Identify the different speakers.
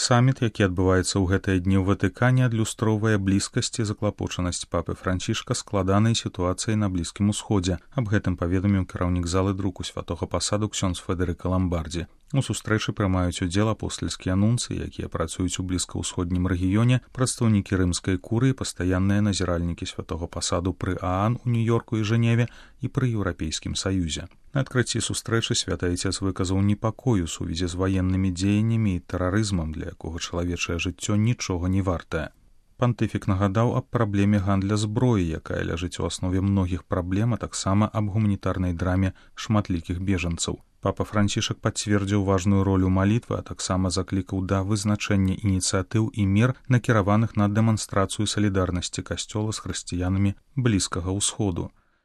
Speaker 1: Саміт, які адбываецца ў гэтыя дні ў Ватыкане, адлюстроўвае блізкасць і заклапочанасць папы Францішка складанай сітуацыі на Блізкім Усходзе. Аб гэтым паведаміў кіраўнік залы друку святога пасаду ксёндз Федэрыка Ламбардзі. У сустрэчы прымаюць удзел апостальскія нунцы, якія працуюць у блізкаўсходнім рэгіёне, прадстаўнікі рымскай курыі, пастаянныя назіральнікі святога пасаду пры ААН у Нью-Йорку і Жэневе і пры Еўрапейскім саюзе. На адкрыцці сустрэчы святы айцец выказаў непакой у сувязі з ваеннымі дзеяннямі і тэрарызмам, для якога чалавечае жыццё нічога не вартае. Пантыфік нагадаў аб праблеме гандля зброі, якая ляжыць у аснове многіх праблем, а таксама аб гуманітарнай драме шматлікіх бежанцаў. Папа Францішак пацвердзіў важную ролю малітвы, а таксама заклікаў да вызначэння ініцыятыў і мер, накіраваных на дэманстрацыю салідарнасці касцёла з хрысціянамі Блізкага ўсходу.